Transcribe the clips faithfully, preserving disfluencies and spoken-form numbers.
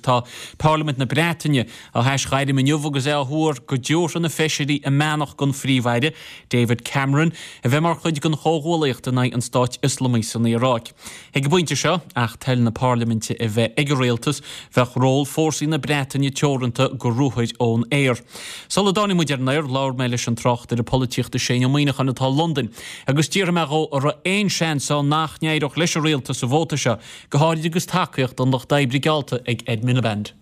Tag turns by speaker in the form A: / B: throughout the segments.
A: tá Parlaimint na Breataine á haisghairm inniu agus é á thuar go dtabharfaidh na feisirí a mbeannacht don Phríomh-Aire, David Cameron, a bheith mar chuid den chomhghuaillíocht in aghaidh an Stáit Ioslamaigh san Iaráic. Ag an bpointe seo, ach toil na Parlaiminte a bheith ag an rialtas, bheadh ról fórsaí na Breataine teoranta go ruathair ón aer. Sula dtáinig muid ar an aer, labhair mé leis an tráchtaire polaitíochta Shane Ó Muíneacháin atá i Londain agus d'fhiafraigh mé dhó an raibh aon seans ann nach n-éireodh leis an rialtas sa vóta seo, go háirid agus tacaíocht an Lucht Oibre geallta ag Ed Miliband.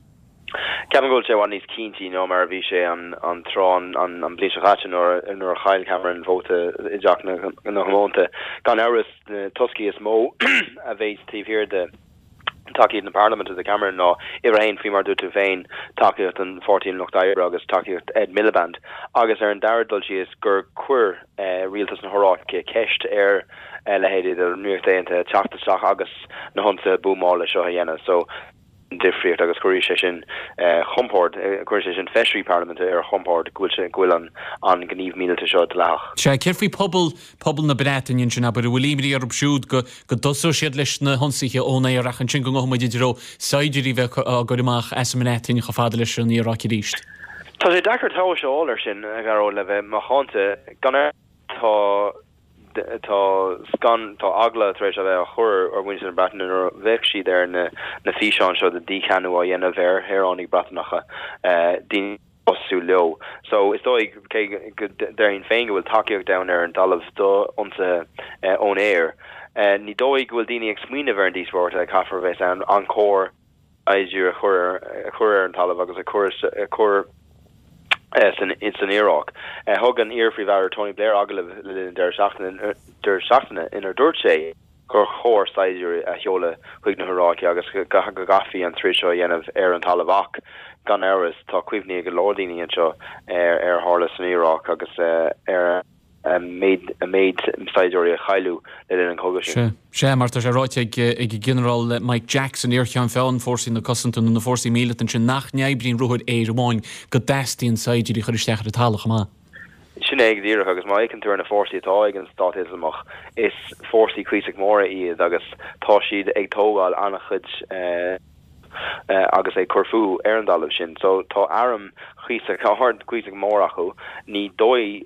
B: Ceapaim go bhfuil sé i bhfad níos cinntí ná mar a bhí sé an an tráth an an bhliain seo caite nuair nuair a chaill Cameron vóta i dTeach na gComónta. Gan amhras na toscaí is mó a bheas taobh thiar de tacaíocht na Parlaiminte do Cameron ná uimhir a haon faoi mar a dúirt tú féin, tacaíocht an Pháirtí an Lucht Oibre agus tacaíocht Ed Miliband agus ar an dara dul síos gur chuir rialtas na hIaráice ceist ar leithéidí den Ríocht Aontaithe teacht isteach agus na hionsaithe buamála seo a dhéanamh. So difríocht agus cuirfidh sé sin chompord, cuirfidh sé sin feisirí parlaiminte ar a chompord go bhfuil sé, go bhfuil an an gníomh míleata seo dleathach.
A: Sea, céard faoi pobal, pobal na Breataine ansin, abair, an bhfuil imní orthu siúd go, go dtosóidh siad leis na hionsaithe ón aer ach ansin go ngabhfaidh muid i dtreo saighdiúirí bheith á gcur amach as an mBreatain chomh fada leis an Iaráic arís?
B: Tá sé deacair tomhas a fháil air sin, a Ghearóid, le bheith macánta. Gan amhras tá. Tá scan, tá eagla tar éis a bheith á chur ar mhuintir na Breataine nuair a bheadh siad ar na na físeáin seo de dhícheannú á dhéanamh ar shaoránaigh Breatanacha, daoine cosúil leo. So is dóigh, cé go déarfainn féin go bhfuil tacaíocht ann ar an dtalamh d'ionsaithe ón aer, ní dóigh go bhfuil daoine ag smaoineamh ar an díospóireacht a caithfear a bheith ann, an cóir saighdiúir a chur a chur ar an talamh agus a chur a chur san san Iaráic. Thug an iar-Phríomh-Aire Tony Blair agallamh le linn an deireadh seachtaine deireadh seachtaine inar dúirt sé gur chóir saighdiúirí a sheoladh chuig na hIaráice agus go gcaithfí an troid seo a dhéanamh ar an talamh ach gan amhras tá cuimhní ag go leor daoine anseo ar ar a tharla san Iaráic agus ar an méid saighdiúirí a cailleadh le linn an chogaidh sin.
A: Sea, sea, mar tá sé ráite ag ag an Ghinearál Mike Jackson, iar-Cheann Feadhain Fórsaí na Cosanta nó na Fórsaí Míleata ansin, nach n-oibríonn ruathair aeir amháin, go dteastaíonn saighdiúirí a chur isteach ar an talamh chomh maith.
B: Sin é go díreach, agus má fhéachann tú ar na fórsaí atá ag an Stát Ioslamach, is fórsaí cuíosach móra iad agus tá siad ag tógáil an-chuid agus ag cur fúthu ar an dtalamh sin. So tá arm cuíosach ard, cuíosach mór acu. Ní dóigh,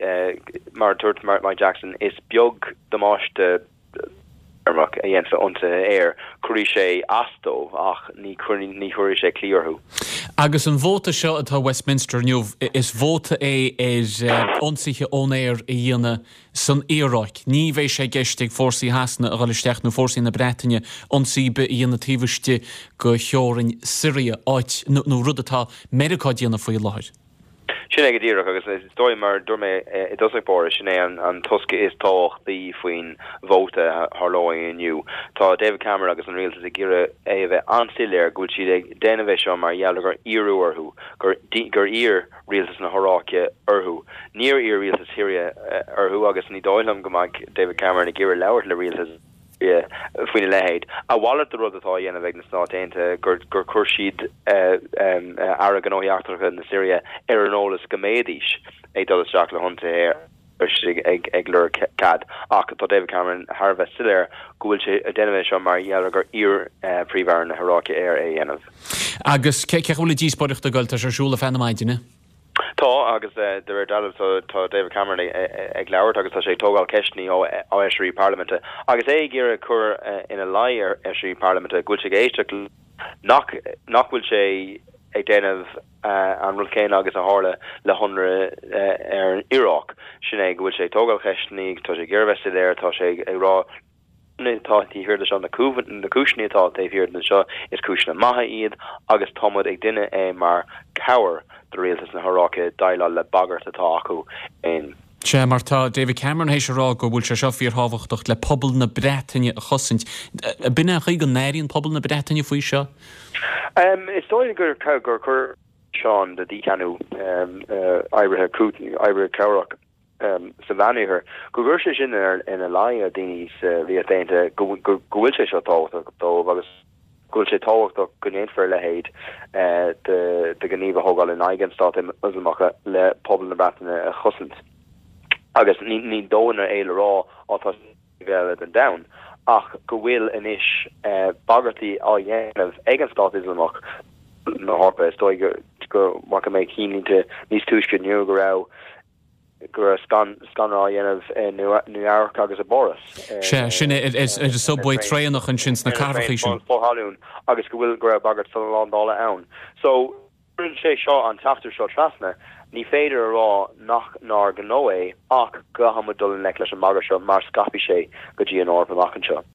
B: mar a dúirt Mike Jackson, is beag damáiste teirmeach a dhéanfadh ionsaithe aeir. Cuirfidh sé as dóibh ach ní ní chuirfidh sé claí orthu.
A: Agus an vóta seo atá Westminster inniu, is vóta é ar ionsaithe ón aer a dhéanamh san Iaráic. Ní bheidh sé i gceist ag fórsaí Shasana a dhul isteach nó fórsaí na Breataine ionsaí ar bith a dhéanamh taobh istigh de theorainn Siria, áit, nó rud atá Meiriceá ag déanamh faoi láthair.
B: Sin é go díreach, agus is dóigh, mar a dúirt mé i dtosach báire, sin é an tosca is tábhachtaí faoin vóta a tharlóidh inniu. Tá David Cameron agus an rialtas ag iarraidh é a bheith an-soiléir go bhfuil siad ag déanamh é seo mar gheall ar gur iarradh orthu, gur iarr rialtas na hIaráice orthu. Níor iarr rialtas Shiria orthu agus ní dóigh liom go mbeidh David Cameron ag iarraidh labhairt le rialtas Shiria faoina leithéid. A mhalairt de rud atá á dhéanamh ag na Stáit Aontaithe, gur gur chuir siad Aire Gnóthaí Eachtracha na Siria ar an eolas go mbeidís ag dul isteach le hionsaithe aeir agus ag ag lorg cead. Ach tá David Cameron thar a bheith soiléir go bhfuil sé ag déanamh é seo mar gheall ar gur iarr Príomh-Aire na hIaráice air é a dhéanamh.
A: Agus cé chaoi bhfuil an díospóireacht ag goil? Tá sé ar siúl ar feadh na maidine.
B: Tá, agus de réir dealraimh tá David Cameron ag labhairt agus tá sé ag tógáil ceisteanna ó fheisirí parlaiminte agus é ag iarraidh cur ina luí ar fheisirí parlaiminte go bhfuil sé ag éisteacht nach nach bhfuil sé ag déanamh an rud céanna agus a tharla le hionradh ar an Iaráic. Sin é go bhfuil sé ag tógáil ceisteanna, tá sé ag iarraidh bheith soiléir, tá sé ag rá atá taobh thiar de seo, na cúiseanna atá taobh thiar de seo, is cúiseanna maithe iad agus tá muid ag déanamh é mar chabhair do rialtas na hIaráice déileáil le bagairt atá acu in.
A: Sea, mar tá David Cameron théis a rá go bhfuil sé seo fíorthábhachtach le pobal na Breataine a chosaint. B'in é an chaoi go n-airíonn pobal na Breataine faoi seo?
B: Is dóigh gur gur chuir físeán de dhícheannú oibrithe oibrithe cabhrach sa Mheánoirthear, go gcuir sé sin ina luí ar dhaoine sa Ríocht Aontaithe go bhfuil sé seo tábhachtach dóibh agus go bhfuil sé tábhachtach go ndéanfar a leithéid de ghníomh a thógáil in aghaidh an Stát Ioslamach le pobal na Breataine a chosaint. Agus ní dóthain é le rá á tá eile den domhan, ach go bhfuil anois bagairtí á dhéanamh ag an Stát Ioslamach na hEorpa is dóigh go bhfaca mé cinnlínte níos túisce inniu go raibh go raibh scanradh á dhéanamh i Nua-Eabhrac agus i bPáras.
A: Sé sin ar an subway traenach ansin sna cathracha sin.
B: Fothalún agus go bhfuil go raibh bagairt slándála ann. So sé seo an teachtar seo trasna, ní féidir a rá nach nár gnó é ach go bhfuil muid dul i ngleic leis an mbagairt seo mar scaipfidh sé go dtí an Eoraip amach anseo.